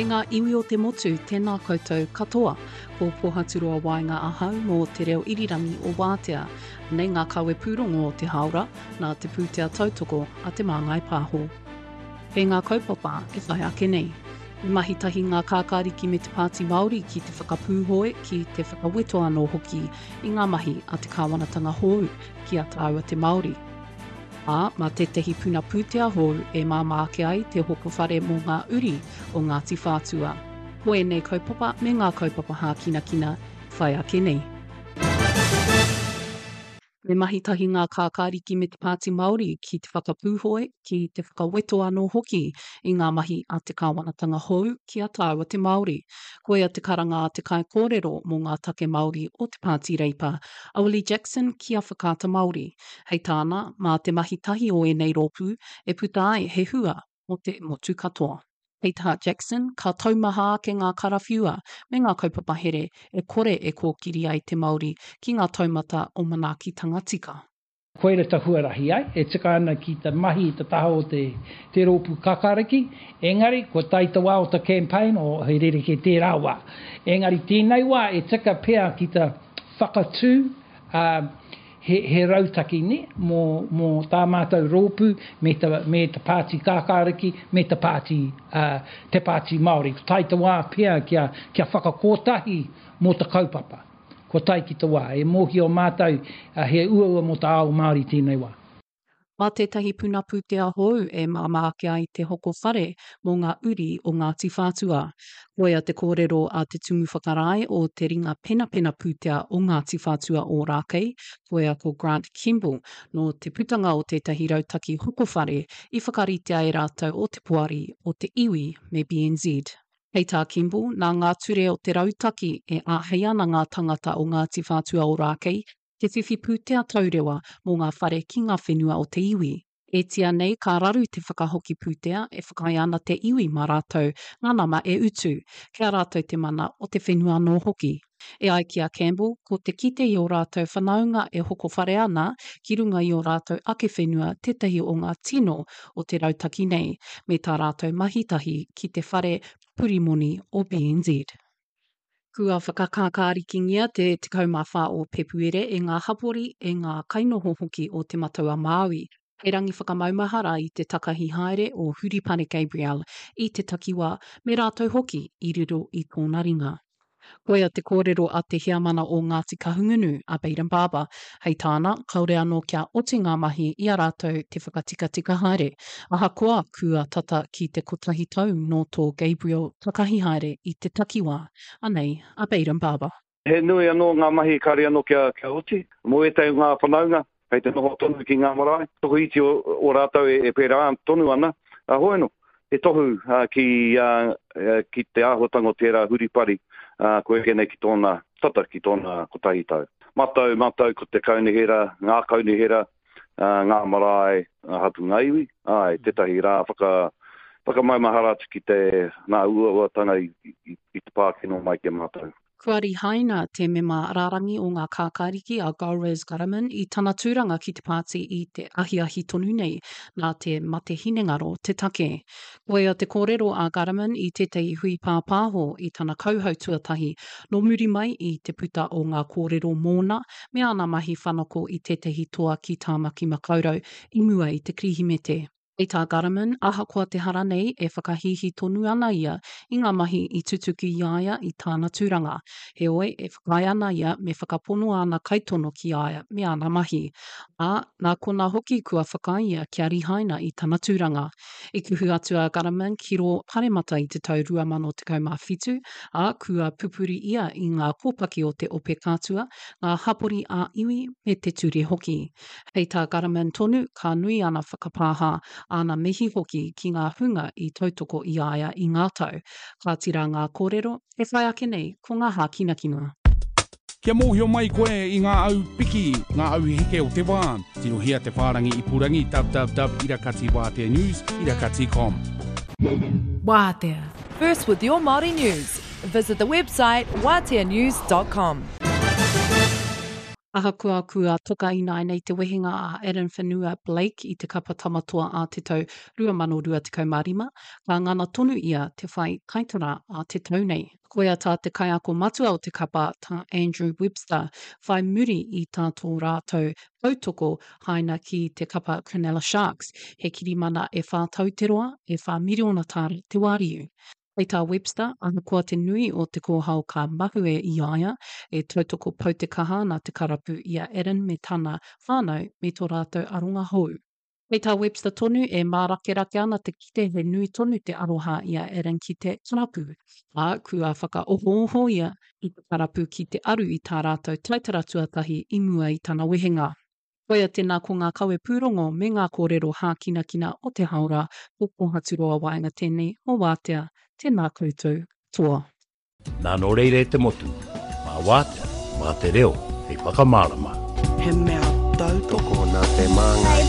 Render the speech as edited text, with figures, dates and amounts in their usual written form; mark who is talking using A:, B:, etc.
A: E ngā iwi o te motu, tēnā koutou katoa. Ko Pohaturoa Waenga ahau mō Te Reo Irirangi o Wātea. Anei ngā kawe pūrongo o te hāora, nā te pūtea tautoko a Te Māngai Pāho. Kei ngā kaupapa e whai ake nei. I mahi tahi ngā kākāriki me te Pāti Māori ki te whakapūhoi, ki te whakaweto anō hoki i ngā mahi a te kāwanatanga hōu ki a tāua te Māori. Ā, mā tētahi puna pūtea hou e māmā ake ai te hoko whare mō ngā uri o Ngāti Whātua. Ko ēnei kaupapa me ngā kaupapa hākinakina whai ake nei. Me mahi tahi ngā kākāriki me te Pāti Māori ki te whakapūhoi, ki te whakaweto anō hoki i ngā mahi a te kāwanatanga hou ki a tāua te Māori. Koia te karanga a te kaikōrero mō ngā take Māori o te Pāti Reipa, a Willie Jackson ki a Whakaata Māori. Hei tāna, mā te mahi tahi o ēnei rōpū e puta ai he hua mō te motu katoa. Hei tā Jackson, ka taumaha ake ngā karawhiua me ngā kaupapa here e kore e kōkiri ai te Māori ki ngā taumata o manaakitanga tika.
B: Koira ta huarahi ai, e tika ana ki ta mahi i ta taha o te te rōpū kakariki, engari kua tae ta wā o ta campaign, o he rerekē tērā wā. Engari tēnei wā e tika pea ki ta whakatū, ā, he, he rautaki, nē, mō, mō tā mātou rōpū me ta, me ta Pāti Kākāriki, me ta pāti, ā, te Pāti Māori. Ko tae te wā pea kia, kia whakakōtahi mō ta kaupapa. Kua tae ki te wā. E mōhio mātou, ā, he uaua mō ta ao Māori tēnei wā.
A: Mā tētahi puna pūtea hou e māmā ake ai te hoko whare mō ngā uri o Ngāti Whātua. Koia te kōrero a te Tumu Whakarae o te Ringa Penapena Pūtea o Ngāti Whātua Ōrākei, koia ko Grant Kemble, nō te putanga o tētahi rautaki hoko whare i whakaritea e rātou o te Poari o te Iwi me BNZ. Hei tā Kemble, nā ngā ture o te rautaki e āhei ana ngā tangata o Ngāti Whātua Ōrākei te whiwhi pūtea taurewa mō ngā whare ki ngā whenua o te iwi. E tia nei ka raru te whakahoki pūtea e whakaae ana te iwi mā rātou ngā nama e utu, kei a rātou te mana o te whenua anō hoki. E ai ki a Campbell, ko te kite i ō rātou whanaunga e hoko whare ana ki runga i ō rātou ake whenua tētahi o ngā tino o te rautaki nei, me tā rātou mahi tahi ki te whare pupuri moni o BNZ. Kua whakakākārikingia te 14 o Pepuere e ngā hapori, e ngā kainoho hoki o Te Matau-a-Māui, hei rangi whakamaumahara i te takahi haere o Huripane Gabrielle i te takiwā me rātou hoki i riro i tōna ringa. Koia te kōrero a te heamana o Ngāti Kahungunu, a Bayden Barber, hei tāna, kāore anō kia oti ngā mahi i a rātou te whakatikatika haere, ahakoa kua tata ki te kotahi tau nō tō Gabriel takahi haere i te takiwā. Anei a Bayden Barber.
C: He nui anō ngā mahi kāore anō kia oti. Mō ētahi o ngā whanaunga, kei te noho tonu ki ngā marae, tokoiti o rātou e pērā tonu ana, ā, hoi anō, he tohu ki, ki te āhuatanga o tērā huripari, kua eke nei ki tōna tata ki tōna kotahi tau. Matau, matau ko te kaunihera, ngā kaunihera, ngā marae, ngā hapū, ngā iwi, āe, tētahi rā whaka, whakamaumahara atu ki te, ngā uauatanga i, i, i te pā kino mai ki a mātou.
A: Kua rihaina te mema rārangi o ngā kākāriki a Golriz Ghahraman i tana tūranga ki te pāti i te ahiahi tonu nei, nā te mate hinengaro te take. Koia te kōrero a Ghahraman i tētahi hui pāpāho i tana kauhau tuatahi nō muri mai i te puta o ngā kōrero mōna me āna mahi whanako i tētahi toa ki Tāmaki Makaurau i mua i te Kirihimete. Hei tā Ghahraman, ahakoa te hara nei, e whakahīhī tonu ana ia i ngā mahi i tutuki i a ia i tāna tūranga. Heoi, e whakaae ana ia me whakapono āna kaitono ki a ia me āna mahi. Ā, nā konā hoki kua whakaae ia kia rihaina i tana tūranga. I kuhu atu a Ghahraman ki rō Paremata i te tau 2017, ā, kua pupuri ia i ngā kōpaki o te Ope Kātua, ngā hapori ā-iwi me te ture hoki. Hei tā Ghahraman tonu, ka nui ana whakapāha, āna mihi hoki ki ngā hunga i tautoko i a ia i ngā tau. Kāti rā ngā kōrero, e whai ake nei ko ngā hākinakina.
D: Kia mōhio mai koe i ngā au piki, ngā au heke o te wā, tirohia te whārangi ipurangi www irakati wātea news irakati com.
E: Wātea. First with your Māori news. Visit the website wāteanews.com.
A: Ahakoa kua toka ināianei te wehenga a Addin Whenua Blake i te kapa Tamatoa ā te tau 2025, ka ngana tonu ia te whai taitara ā te tau nei. Koia tā te kaiako matua o te kapa, tā Andrew Webster, whai muri i tā tō rātou tautoko haina ki te kapa Cronulla Sharks, he kirimana e whā tau te roa, e whā miriona tāra te wāriu. Hei tā Webster, ahakoa te nui o te kōhao ka mahue i a ia, e tautoko pau te kaha ana te karapu i a Aaron me tana whānau me tō rātou aronga hou. Hei tā Webster tonu, e mārakerake ana te kite he nui tonu te aroha i a Aaron ki te karapu, ā, kua whakaohooho ia i te karapu ki te aru i tā rātou taitara tuatahi i mua i tana wehenga. Koia tēnā ko ngā kawe pūrongo me ngā kōrero hākinakina o te haora ko Kōhaturoa Waenga tēnei o Wātea, tēnā koutou katoa.
F: Nā nō reira e te motu, mā Wātea, mā te reo hei whakamārama.
G: He mea tautoko.
H: Tokona te māngai.